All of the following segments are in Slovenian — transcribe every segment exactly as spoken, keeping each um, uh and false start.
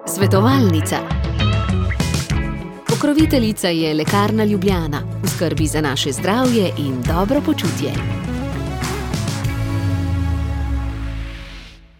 Svetovalnica. Pokroviteljica je Lekarna Ljubljana, v skrbi za naše zdravje in dobro počutje.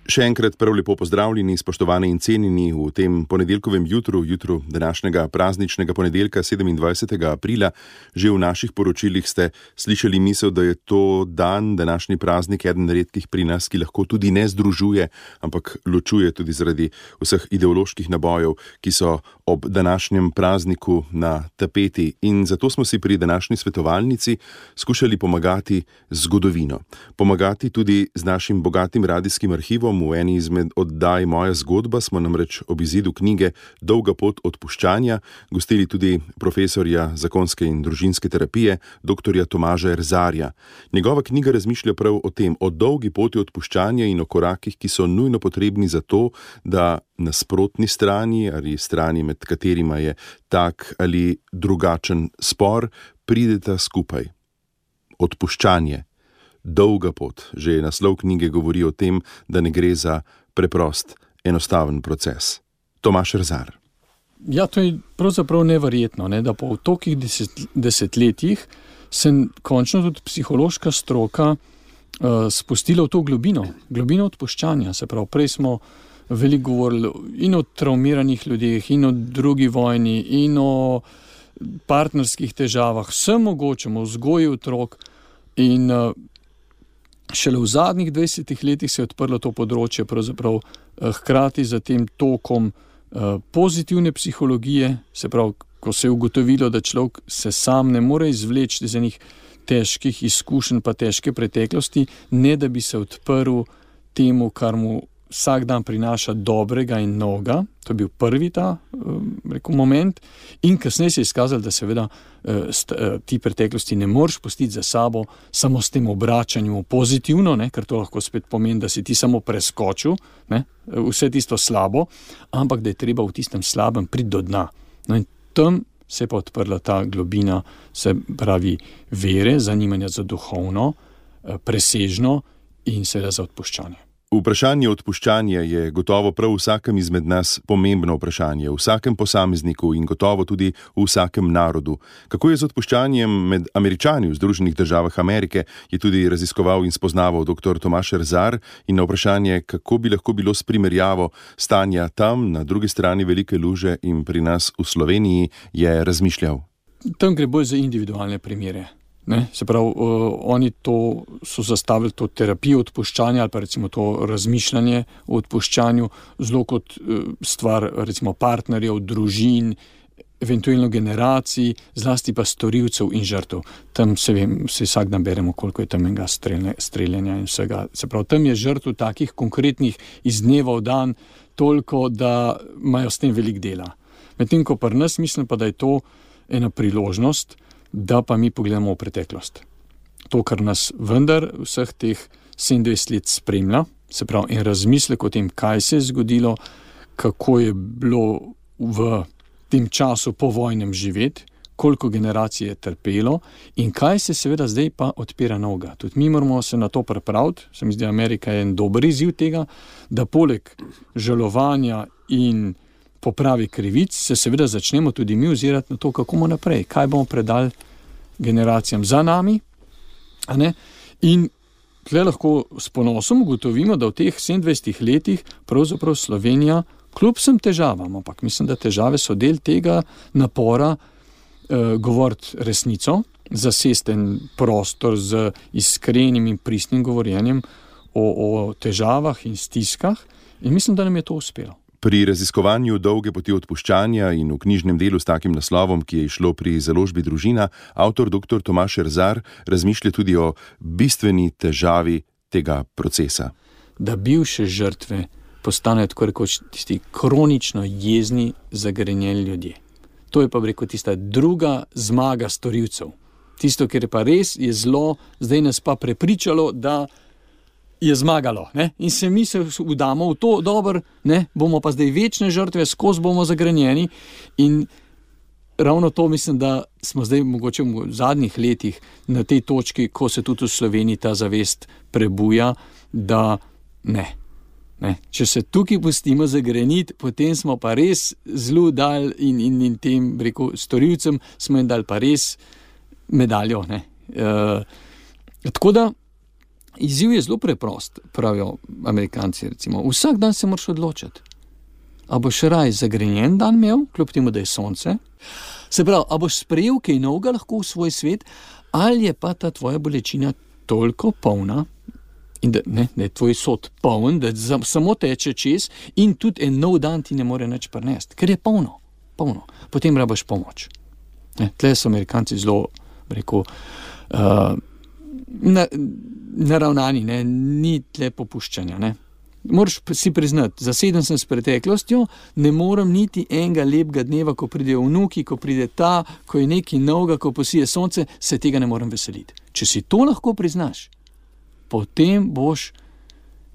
Še enkrat prav lepo pozdravljeni, spoštovani in cenjeni v tem ponedeljkovem jutru, jutru današnjega prazničnega ponedeljka sedemindvajsetega aprila. Že v naših poročilih ste slišali misel, da je to dan, današnji praznik, eden redkih pri nas, ki lahko tudi ne združuje, ampak ločuje tudi zaradi vseh ideoloških nabojev, ki so ob današnjem prazniku na tapeti. In zato smo si pri današnji svetovalnici skušali pomagati z zgodovino. Pomagati tudi z našim bogatim radijskim arhivom. V eni izmed oddaj Moja zgodba smo namreč ob izidu knjige Dolga pot odpuščanja gostili tudi profesorja zakonske in družinske terapije, doktorja Tomaža Erzarja. Njegova knjiga razmišlja prav o tem, o dolgi poti odpuščanja in o korakih, ki so nujno potrebni za to, da nasprotni strani ali strani, med katerima je tak ali drugačen spor, prideta skupaj. Odpuščanje. Dolga pot. Že naslov knjige govori o tem, da ne gre za preprost, enostaven proces. Tomaž Erzar. Ja, to je pravzaprav neverjetno, ne, da po tolikih deset, desetletjih se končno tudi psihološka stroka uh, spustila v to globino, globino odpuščanja. Se pravi, prej smo veliko govorili in o traumiranih ljudeh, in o drugi vojni, in o partnerskih težavah, vsem mogočem, o vzgoji otrok. In uh, šele v zadnjih dvajsetih letih se je odprlo to področje, pravzaprav hkrati za tem tokom pozitivne psihologije, se pravi, ko se je ugotovilo, da človek se sam ne more izvleči iz enih težkih izkušenj pa težke preteklosti, ne da bi se odprl temu, kar mu vsak dan prinaša dobrega in novega. To je bil prvi ta rekel, moment. In kasneje se je izkazalo, da seveda ti preteklosti ne moreš pustiti za sabo samo s tem obračanjem pozitivno, ne, ker to lahko spet pomeni, da si ti samo preskočil, ne, vse tisto slabo, ampak da je treba v tistem slabem priti do dna. No in tam se je pa odprla ta globina, se pravi vere, zanimanja za duhovno, presežno in seveda za odpuščanje. Vprašanje odpuščanja je gotovo prav vsakem izmed nas pomembno vprašanje, vsakem posamezniku in gotovo tudi v vsakem narodu. Kako je z odpuščanjem med Američani v Združenih državah Amerike, je tudi raziskoval in spoznaval doktor Tomaž Erzar, in na vprašanje, kako bi lahko bilo s primerjavo stanja tam, na drugi strani velike luže in pri nas v Sloveniji, je razmišljal. Tam gre bolj za individualne primere. Ne, se pravi, uh, oni to so zastavili to terapijo odpuščanja ali pa recimo to razmišljanje o odpuščanju zelo kot uh, stvar recimo partnerjev, družin, eventualno generacij, zlasti pa storilcev in žrtev. Tam se vem, se vsak dan beremo, koliko je tam enega streljanja in vsega. Se pravi, tam je žrtev takih konkretnih iz dneva v dan toliko, da imajo s tem veliko dela. Medtem ko pri nas mislim pa, da je to ena priložnost, da pa mi pogledamo v preteklost. To, kar nas vendar vseh teh sedemindvajset let spremlja, se pravi, in razmislek o tem, kaj se je zgodilo, kako je bilo v tem času po vojnem živeti, koliko generacij je trpelo in kaj se seveda zdaj pa odpira novega. Tudi mi moramo se na to pripraviti, se mi zdi, Amerika je en dober izziv tega, da poleg žalovanja in popravi krivic, se seveda začnemo tudi mi ozirati na to, kako bomo naprej, kaj bomo predali generacijam za nami, a ne? In tle lahko s ponosom ugotovimo, da v teh sedemindvajsetih letih pravzaprav Slovenija, kljub vsem težavam, ampak mislim, da težave so del tega napora eh, govoriti resnico, zasesti en prostor z iskrenim in pristnim govorjenjem o, o težavah in stiskah, in mislim, da nam je to uspelo. Pri raziskovanju dolge poti odpuščanja in v knjižnem delu s takim naslovom, ki je izšlo pri založbi Družina, avtor doktor Tomaž Erzar razmišlja tudi o bistveni težavi tega procesa. Da bivše žrtve postanejo tako rekoč tisti kronično jezni, zagrenjeni ljudje. To je pa rekel tista druga zmaga storilcev. Tisto, kar je pa res, je zlo, zdaj nas pa prepričalo, da je zmagalo, ne? In se mi se vdamo v to, dobro, ne, bomo pa zdaj večne žrtve, skozi bomo zagrenjeni in ravno to mislim, da smo zdaj mogoče v zadnjih letih na tej točki, ko se tudi v Sloveniji ta zavest prebuja, da ne, Ne? Če se tukaj pustimo zagreniti, potem smo pa res zelo dal in, in, in tem, rekel, storilcem smo jim dali pa res medaljo. Ne? E, tako da izziv je zelo preprost, pravijo Amerikanci, recimo. Vsak dan se moraš odločiti. A boš raj zagrenjen dan imel, kljub temu, da je sonce? Se pravi, a boš sprejel kaj novega lahko v svoj svet, ali je pa ta tvoja bolečina toliko polna, in da, ne, da je tvoj sod poln, da samo teče čez in tudi en nov dan ti ne more nič prinesti, ker je polno, polno. Potem rabaš pomoč. Ne, tle so Amerikanci zelo, rekel, uh, na, naravnani, ne, ni tle popuščanja. Ne. Moraš si priznati, zaseden sem s preteklostjo, ne morem niti enega lepega dneva, ko pridejo vnuki, ko pride ta, ko je nekaj novega, ko posije sonce, se tega ne morem veseliti. Če si to lahko priznaš, potem boš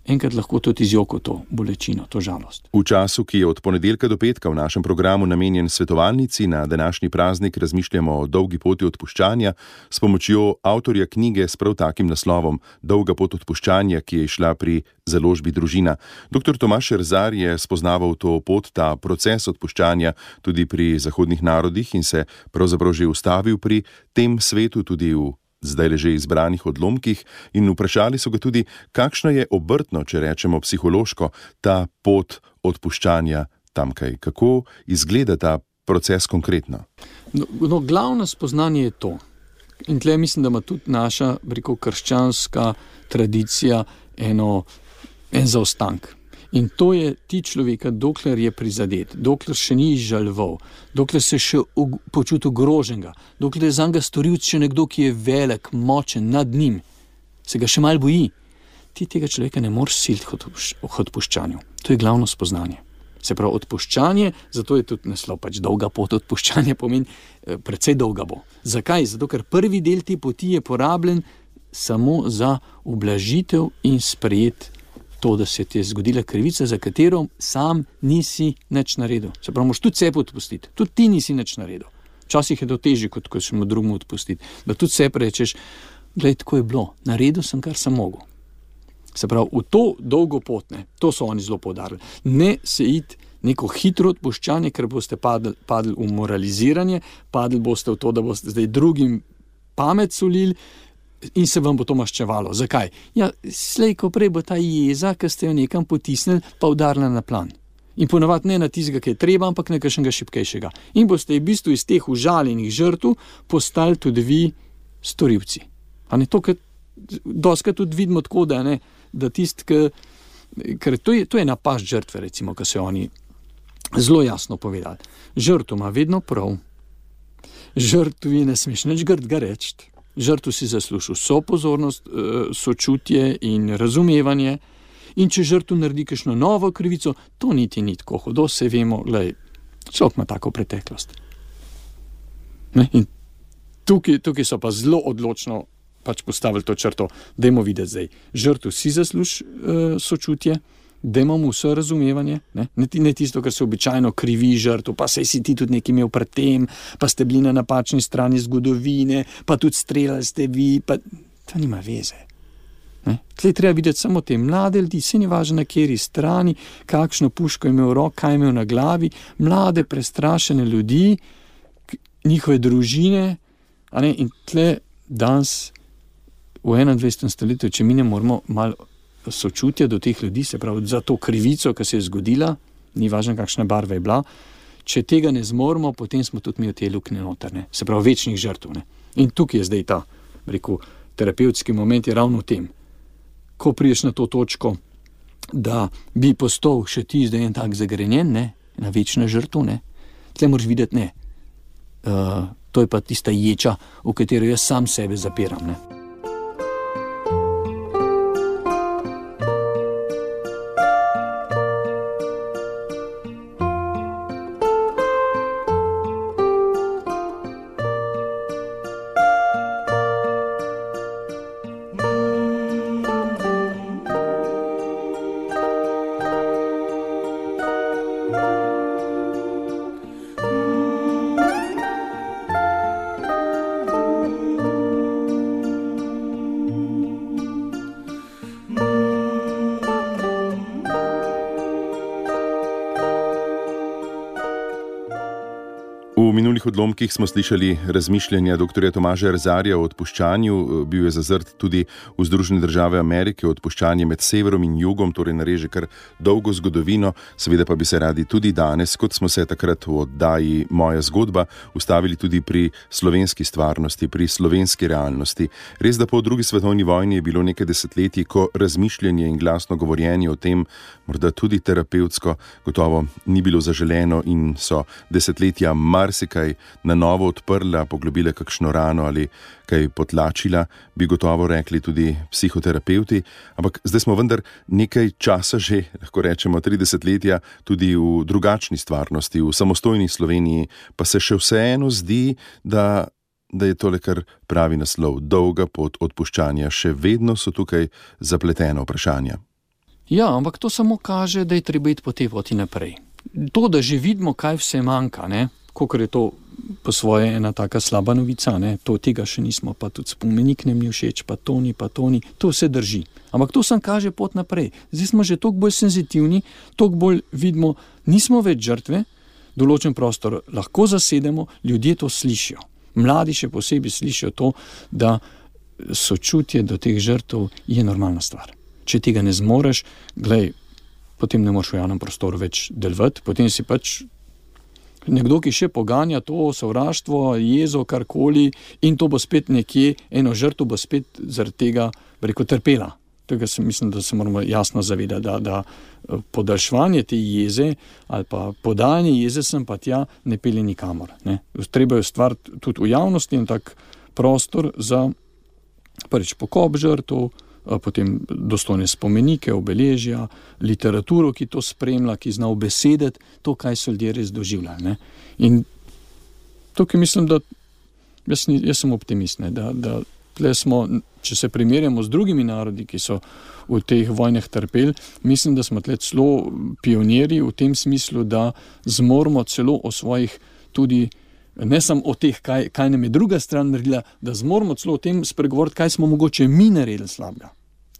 enkrat lahko tudi izjokal to bolečino, to žalost. V času, ki je od ponedeljka do petka v našem programu namenjen svetovalnici, na današnji praznik razmišljamo o dolgi poti odpuščanja s pomočjo avtorja knjige s prav takim naslovom Dolga pot odpuščanja, ki je išla pri založbi Družina. Doktor Tomaž Erzar je spoznaval to pot, ta proces odpuščanja tudi pri zahodnih narodih in se pravzaprav že ustavil pri tem svetu, tudi v zdaj leže izbranih odlomkih, in vprašali so ga tudi, kakšno je obrtno, če rečemo psihološko, ta pot odpuščanja tamkaj. Kako izgleda ta proces konkretno? No, no, glavno spoznanje je to. In tle mislim, da ima tudi naša, rekel, krščanska tradicija eno, en zaostank. In to je ti človeka, dokler je prizadet, dokler še ni izžaloval, dokler se še počuti ogroženega, dokler je zanj storilec še nekdo, ki je velik, močen, nad njim, se ga še malo boji. Ti tega človeka ne moreš siliti k odpuščanju. To je glavno spoznanje. Se pravi, odpuščanje, zato je tudi naslov pač dolga pot odpuščanja, pomeni precej dolga bo. Zakaj? Zato, ker prvi del te poti je porabljen samo za ublažitev in sprejet to, da se ti je zgodila krivica, za katero sam nisi nič naredil. Se pravi, moraš tudi sebe odpustiti. Tudi ti nisi nič naredil. Včasih je to težje, kot ko še mu drugemu odpustiti. Da tudi sebe rečeš, glej, tako je bilo, naredil sem, kar sem mogel. Se pravi, v to dolgo pot, ne, to so oni zelo poudarili. Ne se iti neko hitro odpuščanje, ker boste padli, padli v moraliziranje, padli boste v to, da boste zdaj drugim pamet solili, in se vam bo to maščevalo. Zakaj? Ja, slej, ko prej bo ta jeza, ki ste jo nekam potisnili, pa udarila na plan. In ponavadi ne na tistega, ki je treba, ampak na kakšnega šibkejšega. In boste v bistvu iz teh užaljenih žrtev postali tudi vi storilci. A ne to, ker doskrat tudi vidimo tako, da, ne, da tist, ki, ker to je, to je napast žrtve, recimo, ki so oni zelo jasno povedali. Žrtev ima vedno prav. Žrtvi ne smeš nič grdega reči. Žrtvu si zaslužil vso pozornost, sočutje in razumevanje, in če žrtvu naredi kakšno novo krivico, to niti ni tako hudo, se vemo, glej, človek ima tako preteklost. Ne? In tukaj, tukaj so pa zelo odločno pač postavili to črto, dajmo videti zdaj, žrtvu si zasluži uh, sočutje, dajmo mu vse razumevanje, ne? Ne, ne tisto, kar se običajno krivi žrtvu, pa sej si ti tudi nekaj imel pred tem, pa ste bili na napačni strani zgodovine, pa tudi streljali ste vi, pa to nima veze. Ne? Tlej treba videti samo te mlade ljudi, se ni važno na kateri strani, kakšno puško je imel v roki, kaj je imel na glavi, mlade, prestrašene ljudi, njihove družine, a ne? In tle danes v enaindvajsetem stoletju, če mi ne moramo malo sočutja do teh ljudi, se pravi za to krivico, ki se je zgodila, ni važno, kakšna barva je bila, če tega ne zmoremo, potem smo tudi mi v te luknje notrne, se pravi večnih žrtev. Ne? In tukaj je zdaj ta, rekel, terapevtski moment je ravno v tem. Ko priješ na to točko, da bi postal še ti zdaj en tak zagrenjen, ne? Na večna žrtev, ne? Tle moraš videti, ne. Uh, to je pa tista ječa, v katero jaz sam sebe zapiram, ne. V minulih odlomkih smo slišali razmišljanja doktorja Tomaža Erzarja o odpuščanju. Bil je zazrt tudi v Združene države Amerike, odpuščanje med severom in jugom, torej nareže kar dolgo zgodovino. Seveda pa bi se radi tudi danes, kot smo se takrat v oddaji Moja zgodba, ustavili tudi pri slovenski stvarnosti, pri slovenski realnosti. Res, da po drugi svetovni vojni je bilo nekaj desetletij, ko razmišljanje in glasno govorjenje o tem, morda tudi terapevtsko, gotovo ni bilo zaželeno in so desetletja marsikaj na novo odprla, poglobila kakšno rano ali kaj potlačila, bi gotovo rekli tudi psihoterapevti. Ampak zdaj smo vendar nekaj časa že, lahko rečemo tri desetletja, tudi v drugačni stvarnosti, v samostojni Sloveniji, pa se še vseeno zdi, da, da je tole kar pravi naslov, dolga pot odpuščanja. Še vedno so tukaj zapletena vprašanja. Ja, ampak to samo kaže, da je treba iti po tej poti naprej. To, da že vidimo, kaj vse manjka, ne? Kakor je to po svoje ena taka slaba novica, ne? To tega še nismo, pa tudi spomenik nam ni všeč, pa to ni, pa to ni, to vse drži. Ampak to sam kaže pot naprej. Zdaj smo že toliko bolj senzitivni, toliko bolj vidimo, nismo več žrtve, določen prostor lahko zasedemo, ljudje to slišijo. Mladi še posebej slišijo to, da sočutje do teh žrtev je normalna stvar. Če tega ne zmoreš, glej, potem ne moreš v javnem prostoru več delovati, potem si pač nekdo, ki še poganja to sovraštvo, jezo, karkoli, in to bo spet nekje, eno žrtev bo spet zaradi tega, rekel, trpela. Tega se mislim, da se moramo jasno zavedati, da, da podaljševanje te jeze ali pa podajanje jeze sem pa tja ne pelje nikamor. Ne. Treba je stvariti tudi v javnosti in tak prostor za prvič pokop žrtev, potem dostojne spomenike, obeležja, literaturo, ki to spremlja, ki zna ubesediti to, kaj so ljudje res doživljali. Ne. In tukaj mislim, da jaz, jaz sem optimist, ne, da, da tle smo, če se primerjamo z drugimi narodi, ki so v teh vojnah trpeli, mislim, da smo tle celo pionirji v tem smislu, da zmoremo celo o svojih tudi ne samo o teh, kaj, kaj nam je druga stran naredila, da zmoramo celo o tem spregovoriti, kaj smo mogoče mi naredili slabega.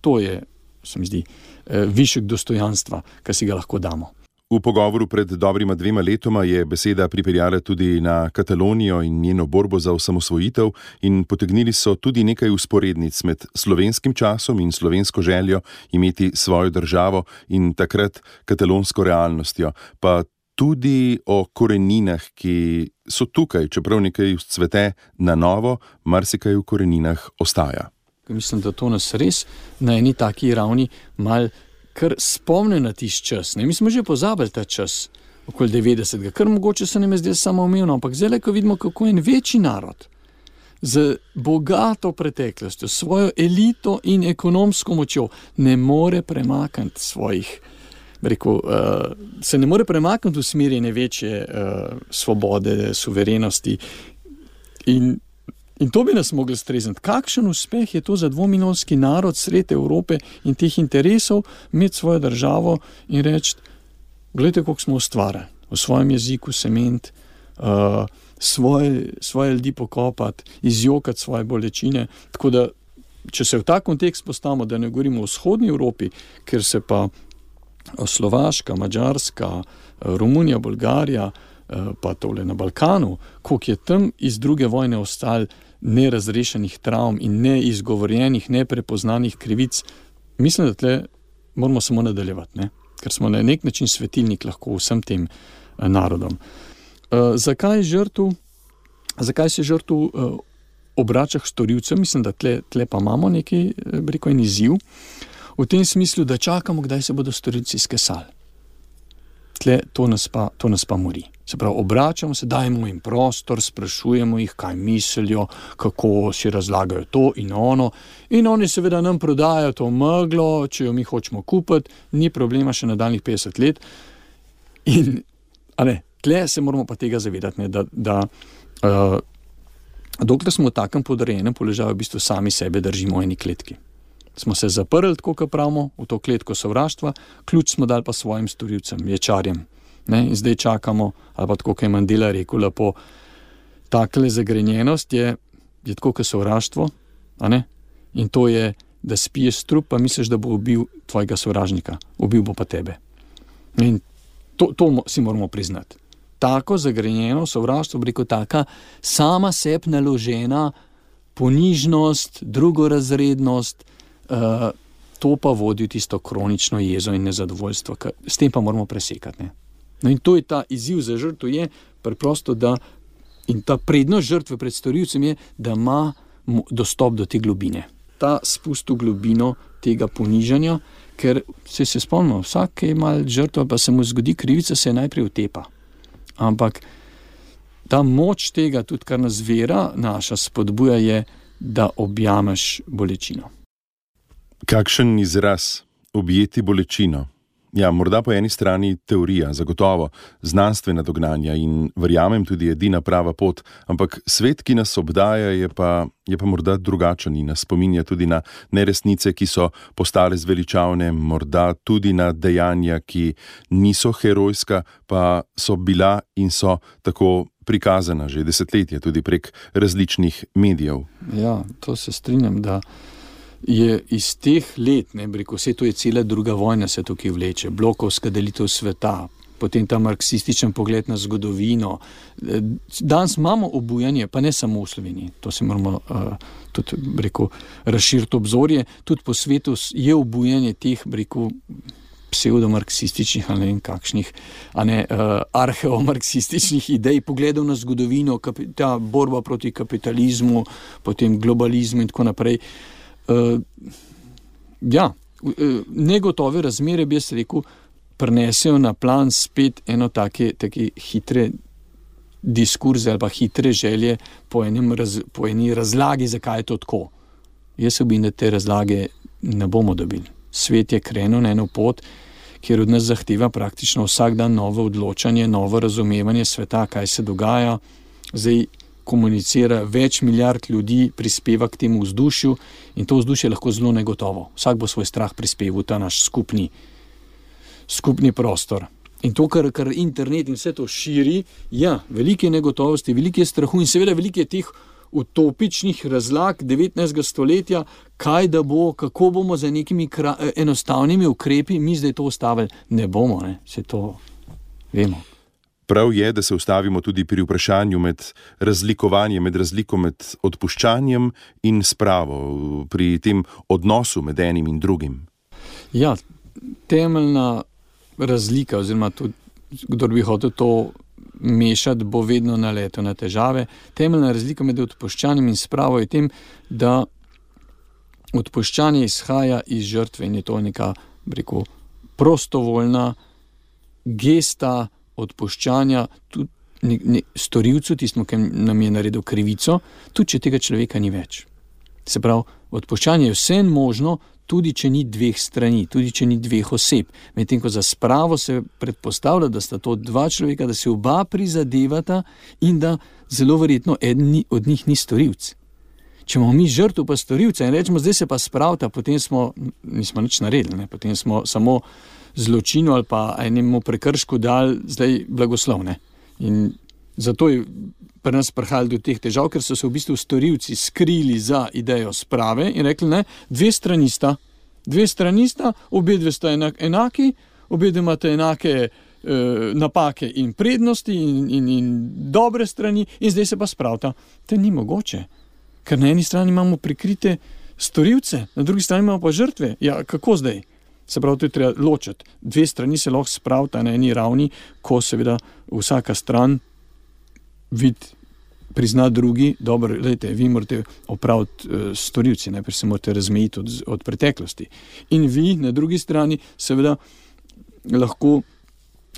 To je, se mi zdi, višek dostojanstva, ki si ga lahko damo. V pogovoru pred dobrima dvema letoma je beseda pripeljala tudi na Katalonijo in njeno borbo za osamosvojitev in potegnili so tudi nekaj vzporednic med slovenskim časom in slovensko željo imeti svojo državo in takrat katalonsko realnostjo, pa tudi o koreninah, ki so tukaj, čeprav nekaj vzcvete na novo, marsikaj v koreninah ostaja. Mislim, da to nas res na eni taki ravni mal kar spomne na tisti čas. Ne? Mi smo že pozabili ta čas, okoli devetdesetega, kar mogoče se nam je zdaj samoumevno, ampak zdaj, ko vidimo, kako en večji narod z bogato preteklostjo, svojo elito in ekonomsko močjo ne more premakniti svojih Rekel, uh, se ne more premakniti v smeri največje uh, svobode, suverenosti in, in to bi nas mogli strezniti. Kakšen uspeh je to za dvomilijonski narod sred Evrope in teh interesov imeti svojo državo in reči, gledajte, koliko smo ustvarjali v svojem jeziku, sement, uh, svoje, svoje ljudi pokopati, izjokati svoje bolečine. Tako da, če se v ta kontekst postavimo, da ne govorimo o vzhodni Evropi, ker se pa Slovaška, Madžarska, Romunija, Bolgarija, pa tole na Balkanu, koliko je tam iz druge vojne ostalo nerazrešenih travm in neizgovorjenih, neprepoznanih krivic, mislim, da tle moramo samo nadaljevati, ne? Ker smo na nek način svetilnik lahko vsem tem narodom. Zakaj žrtev, zakaj se žrtev obrača k storilcem? Mislim, da tle, tle pa imamo neki, rekel, en izziv. V tem smislu, da čakamo, kdaj se bodo storilci skesali. Tle, to nas pa, to nas pa mori. Se pravi, obračamo se, dajmo jim prostor, sprašujemo jih, kaj mislijo, kako si razlagajo to in ono. In oni seveda nam prodajajo to meglo, če jo mi hočemo kupiti, ni problema še nadaljnjih petdeset let. In, a ne, tle se moramo pa tega zavedati, ne, da, da uh, dokler smo v takem podrejenem položaju, v bistvu sami sebe držimo v eni kletki. Smo se zaprli, tako kot pravimo, v to kletko sovraštva, ključ smo dali pa svojim storilcem, ječarjem. Ne? In zdaj čakamo, ali pa tako, kot je Mandela rekel, lepo, takle zagrenjenost je, je tako kot sovraštvo, a ne? In to je, da spiješ strup, pa misliš, da bo ubil tvojega sovražnika, ubil bo pa tebe. In to, to si moramo priznati. tako zagrenjeno sovraštvo, preko taka sama sebi naložena ponižnost, drugorazrednost, uh, to pa vodi v tisto kronično jezo in nezadovoljstvo, s tem pa moramo presekati. Ne? No in to je ta izziv za žrtvo, je preprosto, da in ta prednost žrtve pred storilcem je, da ima dostop do te globine. Ta spust v globino tega ponižanja, ker se se spomnimo, vsak, ki je mal žrtva, pa se mu zgodi krivica, se najprej utepa. Ampak ta moč tega, tudi kar nas vera naša spodbuja, je, da objameš bolečino. Kakšen izraz objeti bolečino? Ja, morda po eni strani teorija, zagotovo, znanstvena dognanja in verjamem tudi edina prava pot, ampak svet, ki nas obdaja, je pa, je pa morda drugačen in nas spominja tudi na neresnice, ki so postale zveličavne, morda tudi na dejanja, ki niso herojska, pa so bila in so tako prikazana že desetletje, tudi prek različnih medijev. Ja, to se strinjam, da je iz teh let, ne, breko, vse to je cela druga vojna se tukaj vleče, blokovska delitev sveta, potem ta marksističen pogled na zgodovino. Danes imamo obujanje, pa ne samo v Sloveniji, to se moramo uh, tudi, breko, razširiti obzorje, tudi po svetu je obujanje teh, breko, pseudomarksističnih ali ne vem kakšnih, a ne uh, arheomarksističnih idej, pogledov na zgodovino, kapi, ta borba proti kapitalizmu, potem globalizmu in tako naprej. Uh, ja, uh, negotove razmere, bi jaz rekel, prinesejo na plan spet eno take, take hitre diskurze ali pa hitre želje po, enem raz, po eni razlagi, zakaj je to tako. Jaz se bojim, da te razlage ne bomo dobili. Svet je krenil na eno pot, kjer od nas zahteva praktično vsak dan novo odločanje, novo razumevanje sveta, kaj se dogaja. Zdaj komunicira več milijard ljudi, prispeva k temu vzdušju in to vzdušje je lahko zelo negotovo. Vsak bo svoj strah prispeval v ta naš skupni, skupni prostor. In to, kar, kar internet in vse to širi, ja, velike negotovosti, velike strahu in seveda velike teh utopičnih razlag devetnajstega stoletja, kaj da bo, kako bomo za nekimi kra, enostavnimi ukrepi mi zdaj to ustavili. Ne bomo, ne, se to vemo. Prav je, da se ustavimo tudi pri vprašanju med razlikovanjem, med razliko med odpuščanjem in spravo, pri tem odnosu med enim in drugim. Ja, temeljna razlika, oziroma tudi, kdor bi hotel to mešati, bo vedno naletel na težave. Temeljna razlika med odpuščanjem in spravo je tem, da odpuščanje izhaja iz žrtve in je to neka, rekel, prostovoljna gesta odpuščanja tudi ne, ne, storilcu, tistmu, ki nam je naredil krivico, tudi če tega človeka ni več. Se pravi, odpuščanje je vse možno, tudi če ni dveh strani, tudi če ni dveh oseb. Medtem ko za spravo se predpostavlja, da sta to dva človeka, da se oba prizadevata in da zelo verjetno eden od njih ni storilc. Če imamo mi žrtev pa storilca in rečemo, zdaj se pa spravta, potem smo, nismo nič naredili, ne? Potem smo samo zločinu ali pa enemu prekršku dali zdaj blagoslov. Ne? In zato je pri nas prihajalo do teh težav, ker so se v bistvu storilci skrili za idejo sprave in rekli, ne, dve strani sta, dve strani sta, obe dve sta enak, enaki, obe dve imate enake e, napake in prednosti in, in, in dobre strani in zdaj se pa spravta. To ni mogoče, ker na eni strani imamo prikrite storilce, na drugi strani imamo pa žrtve. Ja, kako zdaj? Se pravi, to je treba ločiti. Dve strani se lahko spravita na eni ravni, ko seveda vsaka stran vid prizna drugi, dobro, gledajte, vi morate opraviti uh, storilci, najprej se morate razmejiti od, od preteklosti. In vi na drugi strani seveda lahko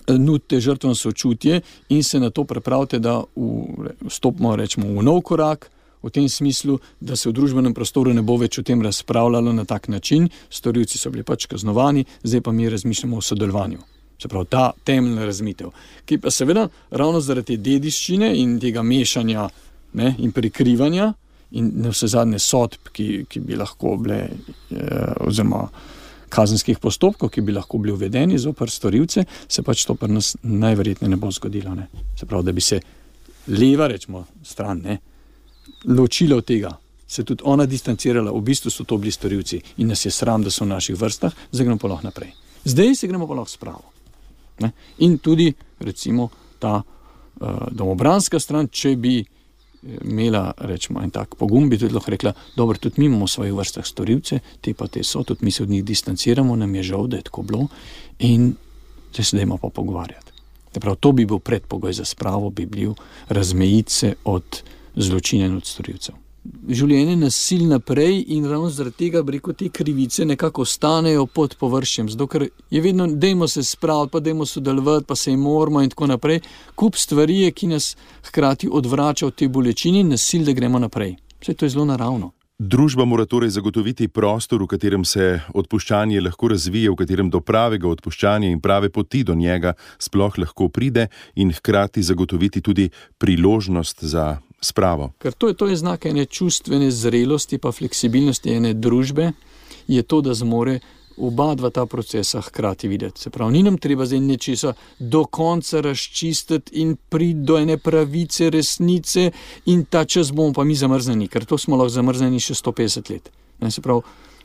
nudite žrtvam sočutje in se na to pripravite, da vstopimo, rečemo, v nov korak, v tem smislu, da se v družbenem prostoru ne bo več o tem razpravljalo na tak način, storilci so bili pač kaznovani, zdaj pa mi razmišljamo o sodelovanju. Se pravi, ta temeljna razmitev, ki pa seveda ravno zaradi te dediščine in tega mešanja, ne, in prikrivanja in na vse zadnje sodb, ki, ki bi lahko bile, eh, oziroma kazenskih postopkov, ki bi lahko bili uvedeni zoper storilce, se pač to pri nas najverjetneje ne bo zgodilo. Ne. Se pravi, da bi se leva, rečemo, stran, ne, ločila od tega, se tudi ona distancirala, v bistvu so to bili storilci in nas je sram, da so v naših vrstah, zdaj gremo pa lahko naprej. Zdaj se gremo pa lahko spravo. Ne? In tudi, recimo, ta domobranska stran, če bi imela, rečemo, en tak pogum, bi tudi lahko rekla, dobro, tudi mi imamo v svojih vrstah storilce, te pa te so, tudi mi se od njih distanciramo, nam je žal, da je tako bilo in zdaj se dajmo pa pogovarjati. Prav, to bi bil predpogoj za spravo, bi bil razmejiti se od zločina in od storilcev. Življenje nasil naprej in ravno zaradi tega, bi rekel, te krivice nekako ostanejo pod površjem, zato ker je vedno, dajmo se spraviti, pa dajmo sodelovati, pa se jim moramo in tako naprej. Kup stvari je, ki nas hkrati odvrača od te bolečine in nasil, da gremo naprej. Vse to je zelo naravno. Družba mora torej zagotoviti prostor, v katerem se odpuščanje lahko razvije, v katerem do pravega odpuščanja in prave poti do njega sploh lahko pride in hkrati zagotoviti tudi priložnost za spravo. Ker to je, to je znak ene čustvene zrelosti pa fleksibilnosti ene družbe, je to, da zmore oba dva ta procesa hkrati videti. Se pravi, ni nam treba zdaj nečesa do konca razčistiti in priti do ene pravice, resnice in ta čas bomo pa mi zamrzneni, ker to smo lahko zamrzneni še sto petdeset let. Ne, se pravi,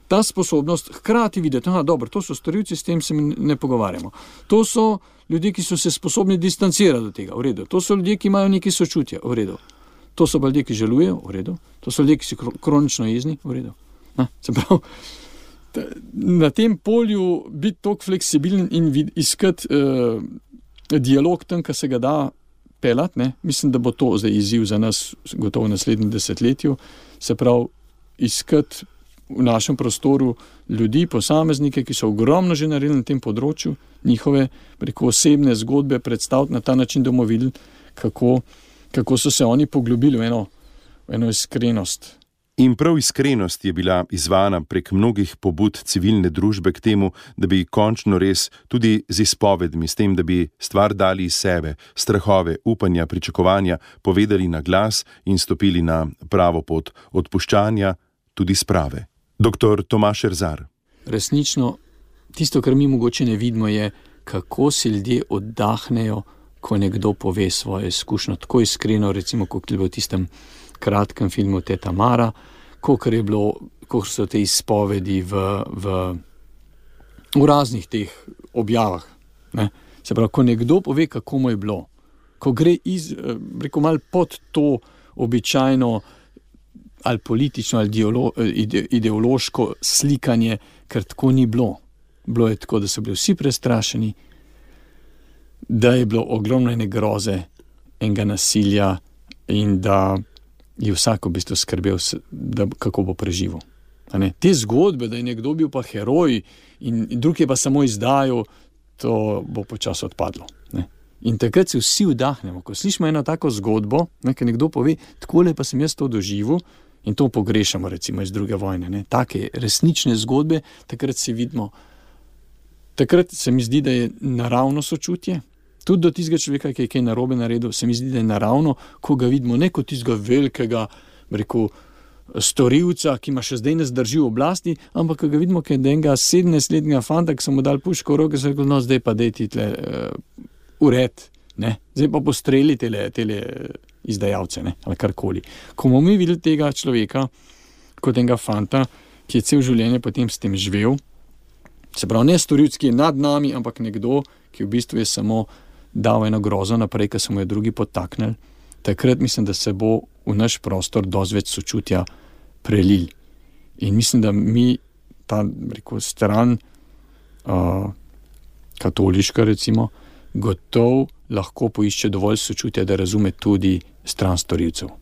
ta sposobnost hkrati videti, aha, dobro, to so storilci, s tem se ne pogovarjamo. To so ljudje, ki so se sposobni distancirati do tega, v redu. To so ljudje, ki imajo neki sočutje, v redu. To so ljudje, ki žalujejo, v redu. To so ljudje, ki so kronično jezni, v redu. Ne, se pravi, na tem polju biti toliko fleksibilen in vid, iskati uh, dialog tam, kar se ga da pelati, ne? Mislim, da bo to zdaj izziv za nas gotovo v naslednjem desetletju, se pravi, iskati v našem prostoru ljudi, posameznike, ki so ogromno že naredili na tem področju, njihove preko osebne zgodbe predstaviti na ta način, da bomo videli, kako, kako so se oni poglobili v eno, v eno iskrenost. In prav iskrenost je bila izvana prek mnogih pobud civilne družbe k temu, da bi končno res tudi z izpovedmi, s tem, da bi stvar dali iz sebe, strahove, upanja, pričakovanja, povedali na glas in stopili na pravo pot odpuščanja, tudi sprave. Doktor Tomaž Erzar. Resnično, tisto, kar mi mogoče ne vidimo, je, kako se ljudje oddahnejo, ko nekdo pove svojo izkušnjo, tako iskreno, recimo, kot je bilo v tistem kratkem filmu Teta Mara, kolikor je bilo, kolikor so te izpovedi v, v, v raznih teh objavah. Ne? Se pravi, ko nekdo pove, kako mu je bilo, ko gre iz, rekel, malo pod to običajno ali politično ali ideolo, ide, ideološko slikanje, ker tako ni bilo. Bilo je tako, da so bili vsi prestrašeni, da je bilo ogromno ene groze, enega nasilja in da je vsak v bistvu skrbel, da, kako bo preživel. Te zgodbe, da je nekdo bil pa heroj in, in drug je pa samo izdajal, to bo počasi odpadlo. Ne? In takrat se vsi vdahnemo. Ko slišimo eno tako zgodbo, ne, ker nekdo pove, takole pa sem jaz to doživel in to pogrešamo recimo iz druge vojne. Ne? Take resnične zgodbe, takrat se vidimo, takrat se mi zdi, da je naravno sočutje, tudi do tistega človeka, ki je kaj narobe naredil, se mi zdi, da je naravno, ko ga vidimo ne kot tistega velikega, rekel, storilca, ki ima še zdaj ne zdrži v oblasti, ampak ko ga vidimo, ki je enega sedemnajstletnega fanta, ki so mu dali puško v roke, se rekel, no, zdaj pa dej ti tle uh, ured, ne, zdaj pa postreli tele, tele izdajalce, ne, ali karkoli. Ko bomo mi videli tega človeka, kot enega fanta, ki je cel življenje potem s tem živel, se pravi, ne storilc, ki je nad nami, ampak nekdo, ki v bistvu je samo dal eno grozo naprej, ker so mu je drugi podtaknili, takrat mislim, da se bo v naš prostor dosti več sočutja prelil. In mislim, da mi ta, rekel, stran uh, katoliška, recimo, gotov lahko poišče dovolj sočutja, da razume tudi stran storilcev.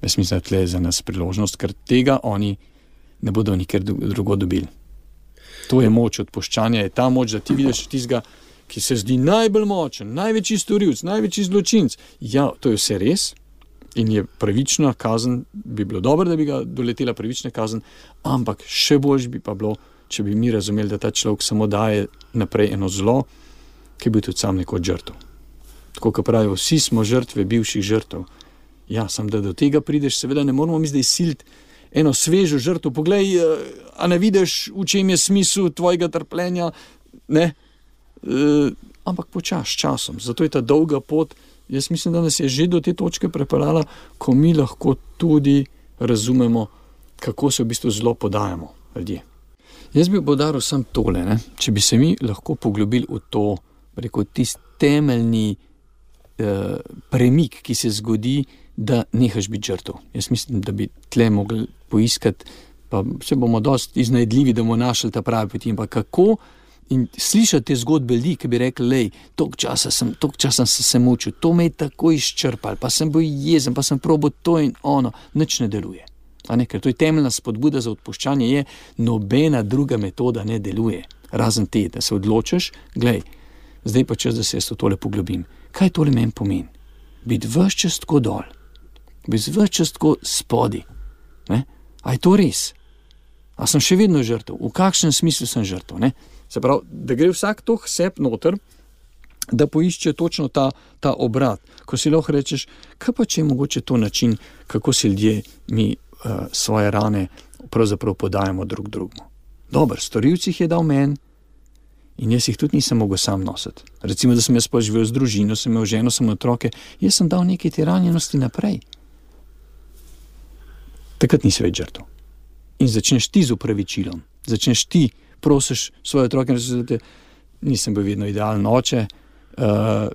Jaz mislim, da tle je za nas priložnost, ker tega oni ne bodo nikjer drugo dobili. To je moč odpuščanja, je ta moč, da ti vidiš tistega, ki se zdi najbolj močen, največji storilc, največji zločinc. Ja, to je vse res in je pravična kazen, bi bilo dobro, da bi ga doletela pravična kazen, ampak še bolj bi pa bilo, če bi mi razumeli, da ta človek samo daje naprej eno zlo, ki bi tudi sam nekoč žrtev. Tako, kot pravijo, vsi smo žrtve bivših žrtev. Ja, sam da do tega prideš, seveda ne moramo mi zdaj siliti eno svežo žrtev. Poglej, a ne vidiš, v čem je smisel tvojega trpljenja, ne? Uh, ampak počas časom. Zato je ta dolga pot, jaz mislim, da nas je že do te točke prepeljala, ko mi lahko tudi razumemo, kako se v bistvu zelo podajamo ljudje. Jaz bi poudaril samo tole, ne? Če bi se mi lahko poglobili v to, rekel, tisti temeljni uh, premik, ki se zgodi, da nehaš biti žrtev. Jaz mislim, da bi tle mogli poiskati, pa se bomo dosti iznajdljivi, da bomo našli ta pravi poti, in pa kako in slišati te zgodbe ljudi, ki bi rekli, lej, toliko časa sem, toliko časa sem se mučil, to me je tako izčrpal, pa sem bil jezen, pa sem probal to in ono, nič ne deluje. A ne, ker to je temeljna spodbuda za odpuščanje, je nobena druga metoda ne deluje, razen te, da se odločiš, glej, zdaj pa čas, da se jaz to tole poglobim. Kaj tole meni pomeni? Biti ves čas tako dol, biti ves čas tako spodi. Ne? A je to res? A sem še vedno žrtev? V kakšnem smislu sem žrtev? Ne? Se pravi, da gre vsak to seb noter, da poišče točno ta, ta obrat, ko si lahko rečeš, kaj pa če je mogoče to način, kako si ljudje mi uh, svoje rane pravzaprav podajamo drug drugemu. Dober, storilci jih je dal meni in jaz jih tudi nisem mogel sam nositi. Recimo, da sem jaz pa živel z družino, sem imel ženo, sem imel otroke, jaz sem dal nekaj te ranjenosti naprej. Takrat nisi več žrtev. In začneš ti z upravičilom, začneš ti, prosiš svoje otroke, da nisem bil vedno idealen oče, uh,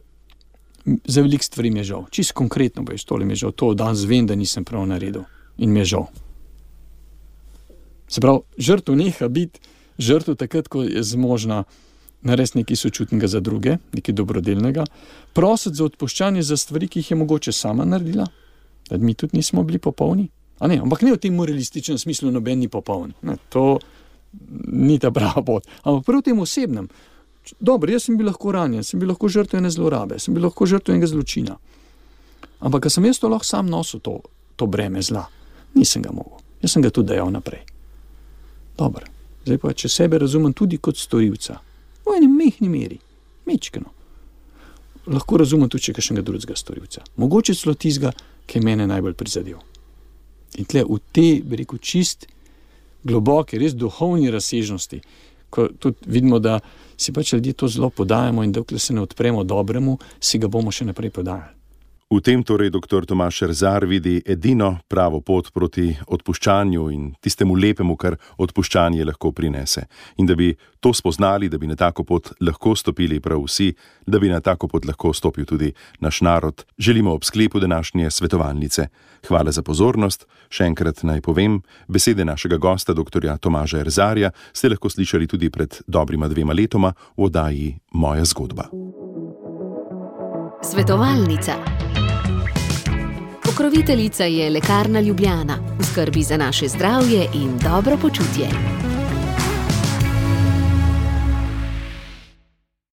za veliko stvari mi je žal. Čisto konkretno boš, tole mi je žal, to danes vem, da nisem prav naredil in mi je žal. Se pravi, žrtev neha biti žrtev takrat, ko je zmožna narediti nekaj sočutnega za druge, nekaj dobrodelnega, prositi za odpuščanje za stvari, ki jih je mogoče sama naredila, da mi tudi nismo bili popolni. A ne, ampak ne v tem moralističnem smislu, noben ni popoln. Ne, to ni ta prava pot. Ampak prav v tem osebnem. Dobro, jaz sem bil lahko ranjen, sem bil lahko žrtev ene zlorabe, sem bil lahko žrtev enega zločina. Ampak, ko sem jaz to lahko sam nosil, to, to breme zla, nisem ga mogel. Jaz sem ga tudi dajal naprej. Dobro, zdaj pa, če sebe razumem tudi kot storilca, v eni mehni meri, mečkeno, lahko razumem tudi, če kakšnega drugega storilca. Mogoče celo tistega, ki je mene najbolj prizadel. In tle v te, bi rekel, čist globoke, res duhovni razsežnosti, ko tudi vidimo, da si pač ljudje to zelo podajamo in dokler se ne odpremo dobremu, si ga bomo še naprej podajali. V tem torej doktor Tomaž Erzar vidi edino pravo pot proti odpuščanju in tistemu lepemu, kar odpuščanje lahko prinese. In da bi to spoznali, da bi na tako pot lahko stopili prav vsi, da bi na tako pot lahko stopil tudi naš narod, želimo ob sklepu današnje svetovalnice. Hvala za pozornost. Še enkrat naj povem, besede našega gosta, doktorja Tomaža Erzarja, ste lahko slišali tudi pred dobrima dvema letoma v oddaji Moja zgodba. Svetovalnica. Pokroviteljica je Lekarna Ljubljana, v skrbi za naše zdravje in dobro počutje.